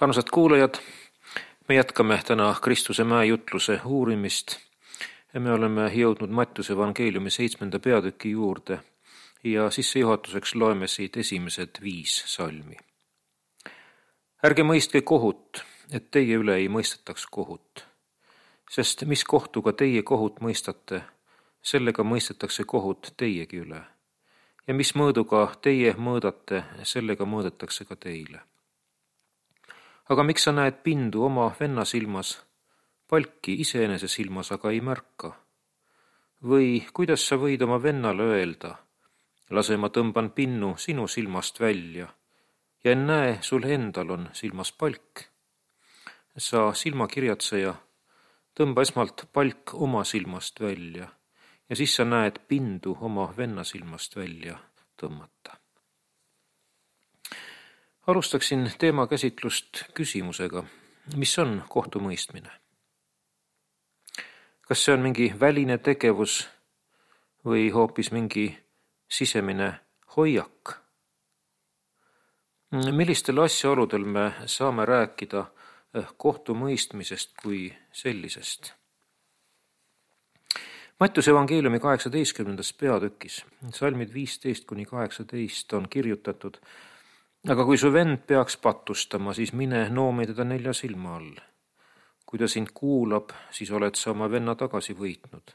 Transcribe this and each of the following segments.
Armsad kuulajad, me jätkame täna Kristuse mäejutluse uurimist ja me oleme jõudnud Mattiuse evangeeliumi 7. peatüki juurde ja sissejuhatuseks loeme siit esimesed 5 salmi. Ärge mõistke kohut, et teie üle ei mõistetaks kohut, sest mis kohtuga teie kohut mõistate, sellega mõistetakse kohut teiegi üle. Ja mis mõõduga teie mõõdate, sellega mõõdetakse ka teile. Aga miks sa näed pindu oma venna silmas, palki iseenese silmas aga ei märka? Või kuidas sa võid oma vennale öelda, lase ma tõmban pinnu sinu silmast välja ja näe, sul endal on silmas palk? Sa silmakirjatseja, tõmba esmalt palk oma silmast välja ja siis sa näed pindu oma venna silmast välja tõmmata. Alustaksin teema käsitlust küsimusega, mis on kohtumõistmine? Kas see on mingi väline tegevus või hoopis mingi sisemine hoiak? Millistel asjaoludel me saame rääkida kohtumõistmisest kui sellisest? Mattiuse evangeeliumi 18. peatükis, salmid 15-18 on kirjutatud: aga kui su vend peaks patustama, siis mine noomi teda 4 silma all. Kui ta sind kuulab, siis oled sa oma venna tagasi võitnud.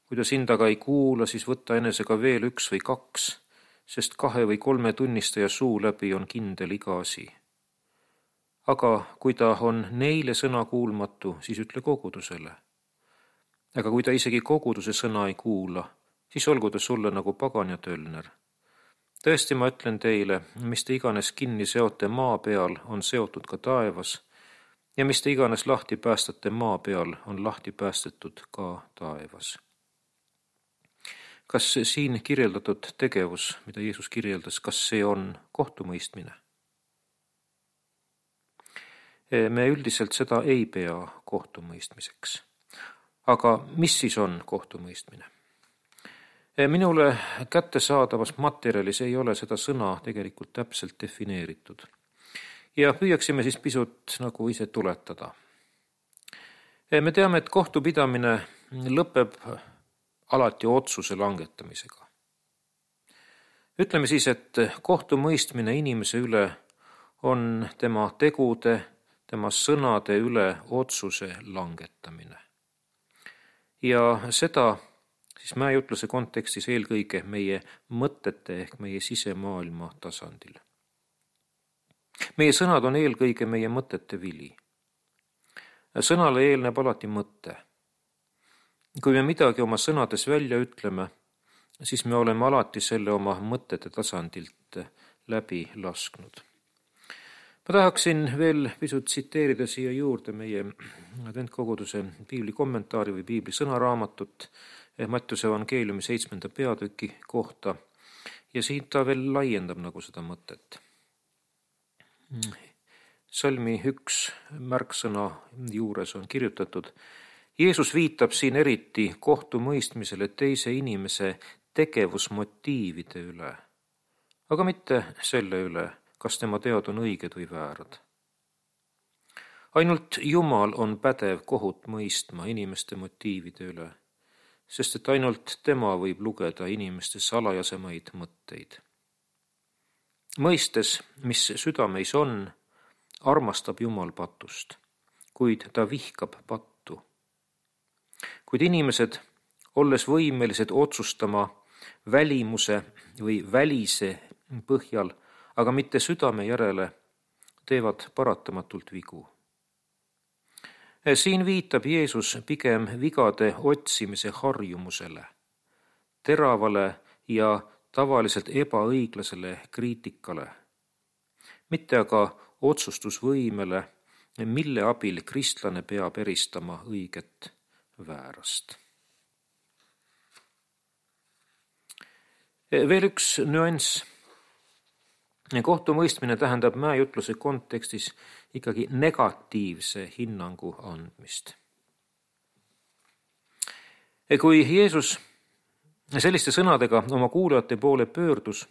Kui ta sind aga ei kuula, siis võta enesega veel 1 või 2, sest 2 või 3 tunnistaja suu läbi on kindel iga asi. Aga kui ta on neile sõna kuulmatu, siis ütle kogudusele. Aga kui ta isegi koguduse sõna ei kuula, siis olgu ta sulle nagu pagan ja tölner. Tõesti, ma ütlen teile, mis te iganes kinni seote maa peal, on seotud ka taevas, ja mis te iganes lahti päästate maa peal, on lahti päästetud ka taevas. Kas siin kirjeldatud tegevus, mida Jeesus kirjeldas, kas see on kohtumõistmine? Me üldiselt seda ei pea kohtumõistmiseks. Aga mis siis on kohtumõistmine? Minule kättesaadavas materjalis ei ole seda sõna tegelikult täpselt defineeritud. Ja püüaksime siis pisut nagu ise tuletada. Me teame, et kohtupidamine lõpeb alati otsuse langetamisega. Ütleme siis, et kohtumõistmine inimese üle on tema tegude, tema sõnade üle otsuse langetamine. Ja seda siis mäejutluse kontekstis eelkõige meie mõtete ehk meie sisemaailma tasandil. Meie sõnad on eelkõige meie mõtete vili. Sõnale eelneb alati mõte. Kui me midagi oma sõnades välja ütleme, siis me oleme alati selle oma mõtete tasandilt läbi lasknud. Ma tahaksin veel pisut tsiteerida siia juurde meie adventkoguduse piibli kommentaari või piibli sõnaraamatut Mattiuse evangeeliumi 7. peatüki kohta ja siin ta veel laiendab nagu seda mõtet. Salmi 1 märksõna juures on kirjutatud: Jeesus viitab siin eriti kohtumõistmisele teise inimese tegevusmotiivide üle, aga mitte selle üle, kas tema teod on õiged või väärad. Ainult Jumal on pädev kohut mõistma inimeste motiivide üle, sest et ainult tema võib lugeda inimeste salajasemaid mõtteid. Mõistes, mis südameis on, armastab Jumal patust, kuid ta vihkab pattu. Kuid inimesed, olles võimelised otsustama välimuse või välise põhjal, aga mitte südame järele, teevad paratamatult vigu. Siin viitab Jeesus pigem vigade otsimise harjumusele, teravale ja tavaliselt ebaõiglasele kriitikale, mitte aga otsustusvõimele, mille abil kristlane peab eristama õiget väärast. Veel üks nüanss. Kohtumõistmine tähendab mäejutluse kontekstis ikkagi negatiivse hinnangu andmist. Kui Jeesus selliste sõnadega oma kuulajate poole pöördus,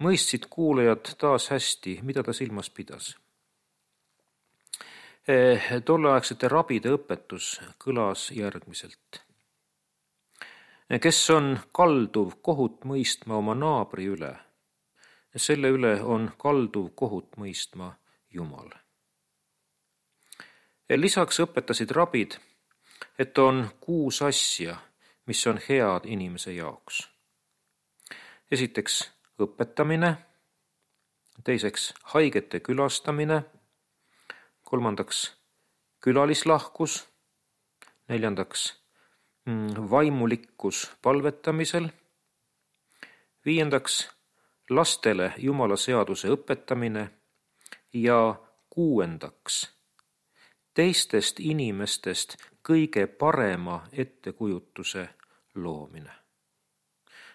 mõistsid kuulajad taas hästi, mida ta silmas pidas. Tolleaegsete rabide õpetus kõlas järgmiselt. Kes on kalduv kohut mõistma oma naabri üle, selle üle on kalduv kohut mõistma Jumal. Lisaks õpetasid rabid, et on 6 asja, mis on head inimese jaoks. Esiteks õpetamine, teiseks haigete külastamine, kolmandaks külalislahkus, neljandaks vaimulikkus palvetamisel, viiendaks lastele Jumala seaduse õpetamine ja 6. teistest inimestest kõige parema ettekujutuse loomine.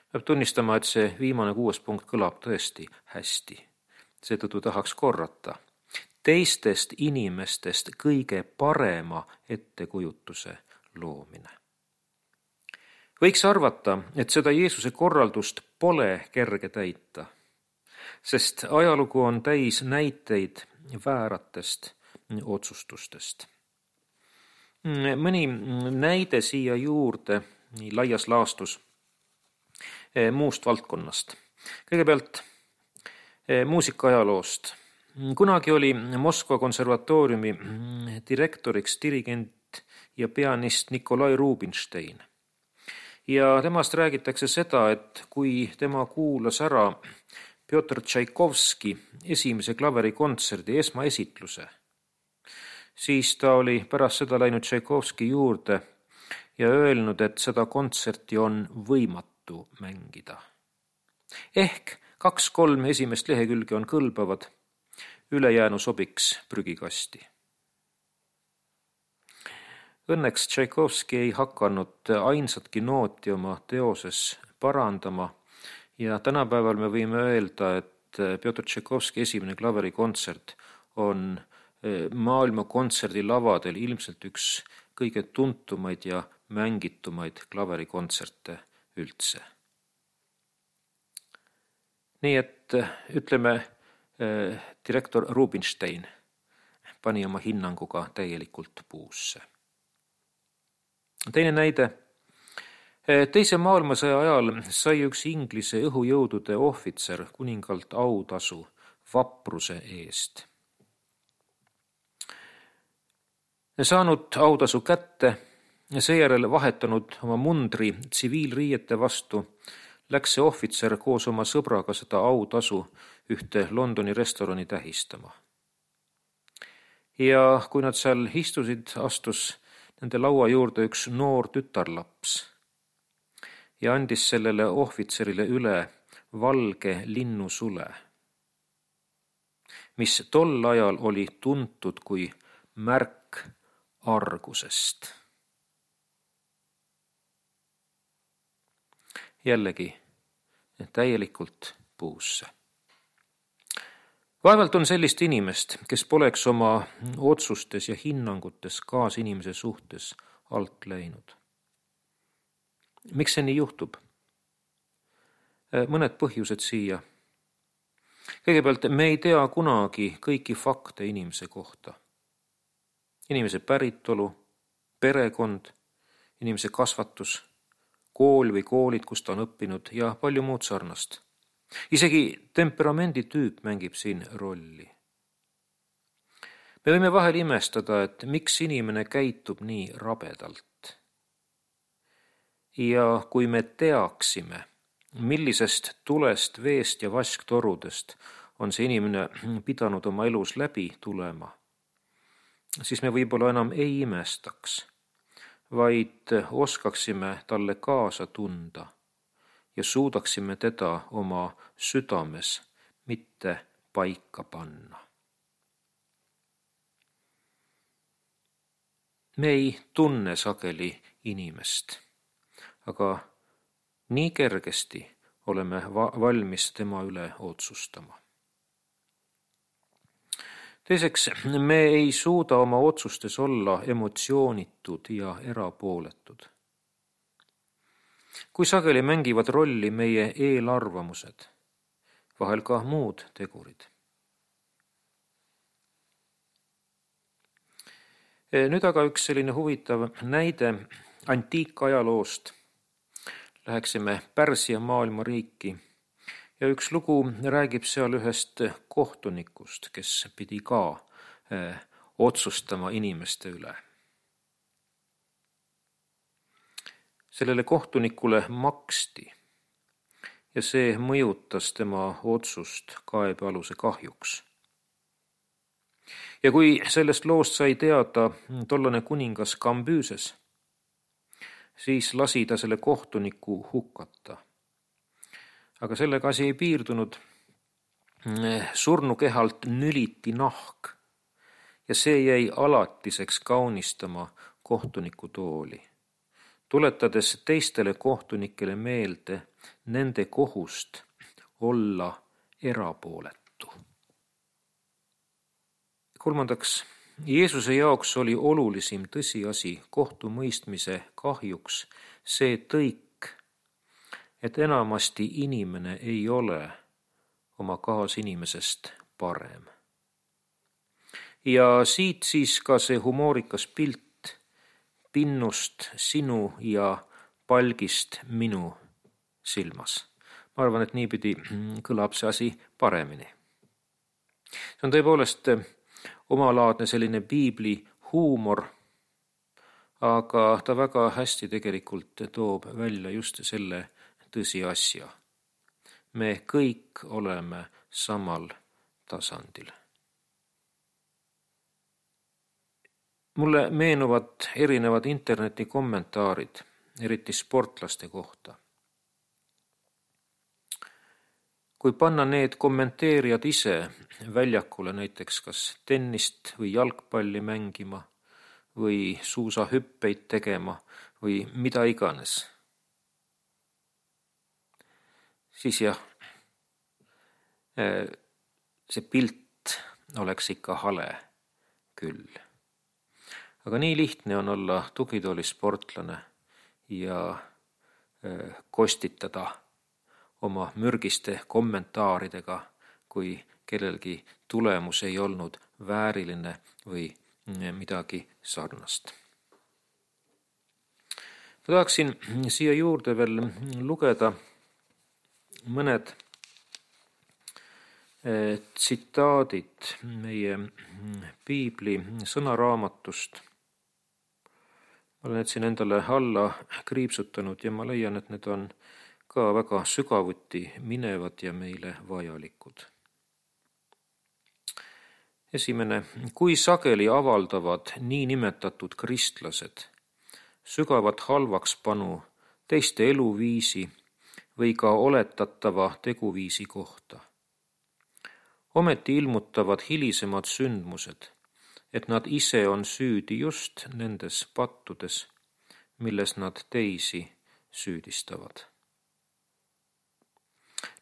Peab tunnistama, et see viimane 6. punkt kõlab tõesti hästi. Seetõttu tahaks korrata. Teistest inimestest kõige parema ettekujutuse loomine. Võiks arvata, et seda Jeesuse korraldust pole kerge täita, sest ajalugu on täis näiteid vääratest otsustustest. Mõni näide siia juurde nii laias laastus muust valdkonnast. Kõigepealt muusikaajaloost. Kunagi oli Moskva konservatooriumi direktoriks dirigent ja pianist Nikolai Rubinstein. Ja temast räägitakse seda, et kui tema kuulas ära Pjotr Tšaikovski esimese klaverikontserdi esmaesitluse, siis ta oli pärast seda läinud Tšaikovski juurde ja öelnud, et seda kontserti on võimatu mängida. Ehk 2-3 esimest lehekülge on kõlbavad, ülejäänu sobiks prügikasti. Õnneks Tšaikovski ei hakanud ainsatki nooti oma teoses parandama ja tänapäeval me võime öelda, et Pjotr Tšaikovski esimene klaverikontsert on maailma kontserdilavadel ilmselt üks kõige tuntumaid ja mängitumaid klaverikontserte üldse. Nii et ütleme, direktor Rubinstein pani oma hinnanguga täielikult puusse. Teine näide. Teise maailmasõja ajal sai üks Inglise õhujõudude ohvitser kuningalt autasu vapruse eest. Saanud autasu kätte ja seejärel vahetanud oma mundri tsiviilriiete vastu, läks see ohvitser koos oma sõbraga seda autasu ühte Londoni restorani tähistama. Ja kui nad seal istusid, astus nende laua juurde üks noor tütarlaps ja andis sellele ohvitserile üle valge linnusule, mis tol ajal oli tuntud kui märk argusest. Jällegi täielikult puusse. Vaevalt on sellist inimest, kes poleks oma otsustes ja hinnangutes kaasinimese suhtes alt läinud. Miks see nii juhtub? Mõned põhjused siia. Kõigepealt me ei tea kunagi kõiki fakte inimese kohta. Inimese päritolu, perekond, inimese kasvatus, kool või koolid, kus ta on õppinud ja palju muud sarnast. Isegi temperamenditüüp mängib siin rolli. Me võime vahel imestada, et miks inimene käitub nii rabedalt. Ja kui me teaksime, millisest tulest, veest ja vasktorudest on see inimene pidanud oma elus läbi tulema, siis me võib-olla enam ei imestaks, vaid oskaksime talle kaasa tunda ja suudaksime teda oma südames mitte paika panna. Me ei tunne sageli inimest, aga nii kergesti oleme valmis tema üle otsustama. Teiseks, me ei suuda oma otsustes olla emotsioonitud ja erapooletud. Kui sageli mängivad rolli meie eelarvamused, vahel ka muud tegurid. Nüüd aga üks selline huvitav näide antiikajaloost. Läheksime Pärsia maailmariiki ja üks lugu räägib seal ühest kohtunikust, kes pidi ka otsustama inimeste üle. Sellele kohtunikule maksti ja see mõjutas tema otsust kaebealuse kahjuks. Ja kui sellest loost sai teada tollane kuningas Kambüüses, siis lasi ta selle kohtuniku hukata. Aga sellega asi ei piirdunud. Surnukehalt nüliti nahk ja see jäi alatiseks kaunistama kohtuniku tooli, tuletades teistele kohtunikele meelde nende kohust olla erapooletu. Kolmandaks, Jeesuse jaoks oli olulisim tõsiasi kohtumõistmise kahjuks see tõik, et enamasti inimene ei ole oma kaasinimesest parem. Ja siit siis ka see humoorikas pilt pinnust sinu ja palgist minu silmas. Ma arvan, et niipidi kõlab see asi paremini. See on tõepoolest omalaadne selline piibli huumor, aga ta väga hästi tegelikult toob välja just selle tõsiasja. Me kõik oleme samal tasandil. Mulle meenuvad erinevad internetikommentaarid, eriti sportlaste kohta. Kui panna need kommenteerijad ise väljakule näiteks kas tennist või jalgpalli mängima või suusahüppeid tegema või mida iganes, siis jah, see pilt oleks ikka hale küll. Aga nii lihtne on olla tugitoolisportlane ja kostitada oma mürgiste kommentaaridega, kui kellelgi tulemus ei olnud vääriline või midagi sarnast. Ma tahaksin siia juurde veel lugeda mõned tsitaadid meie piibli sõnaraamatust. Ma olen need siin endale alla kriipsutanud ja ma leian, et need on ka väga sügavuti minevad ja meile vajalikud. Esimene, kui sageli avaldavad niinimetatud kristlased sügavat halvakspanu teiste eluviisi või ka oletatava teguviisi kohta. Ometi ilmutavad hilisemad sündmused, et nad ise on süüdi just nendes pattudes, milles nad teisi süüdistavad.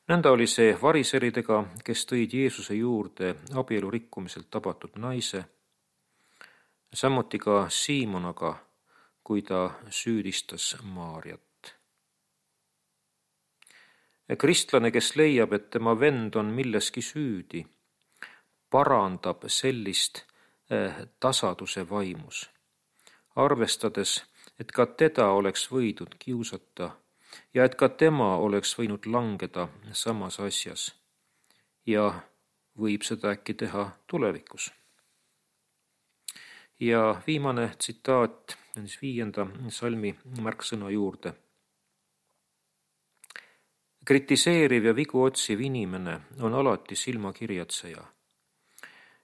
Nõnda oli see variseridega, kes tõid Jeesuse juurde abielu rikkumiselt tabatud naise, samuti ka Siimonaga, kui ta süüdistas Maarjat. Kristlane, kes leiab, et tema vend on milleski süüdi, parandab sellist tasaduse vaimus, arvestades, et ka teda oleks võidud kiusata ja et ka tema oleks võinud langeda samas asjas ja võib seda äkki teha tulevikus. Ja viimane tsitaat on 5. salmi märksõna juurde. Kritiseeriv ja vigu otsiv inimene on alati silmakirjatseja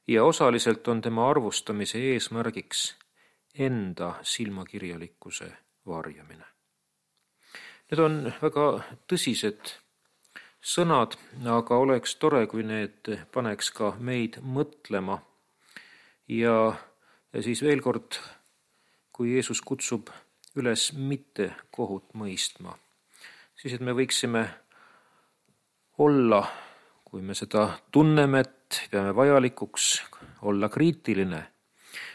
ja osaliselt on tema arvustamise eesmärgiks enda silmakirjalikkuse varjamine. Need on väga tõsised sõnad, aga oleks tore, kui need paneks ka meid mõtlema. Ja siis veel kord, kui Jeesus kutsub üles mitte kohut mõistma, siis et me võiksime olla, kui me seda tunneme, et peame vajalikuks olla kriitiline,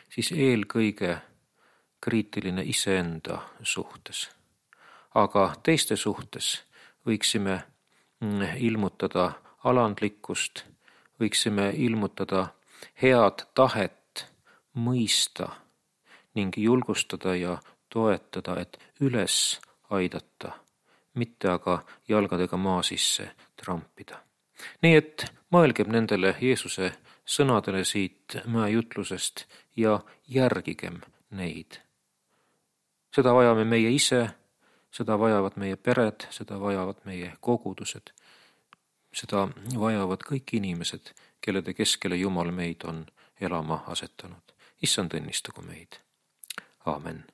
siis eelkõige kriitiline iseenda suhtes. Aga teiste suhtes võiksime ilmutada alandlikkust, võiksime ilmutada head tahet mõista ning julgustada ja toetada, et üles aidata, mitte aga jalgadega maa sisse trampida. Nii et mõelgem nendele Jeesuse sõnadele siit mäejutlusest ja järgigem neid. Seda vajame meie ise, seda vajavad meie pered, seda vajavad meie kogudused, seda vajavad kõik inimesed, kellede keskele Jumal meid on elama asetanud. Issand õnnistagu meid. Aamen.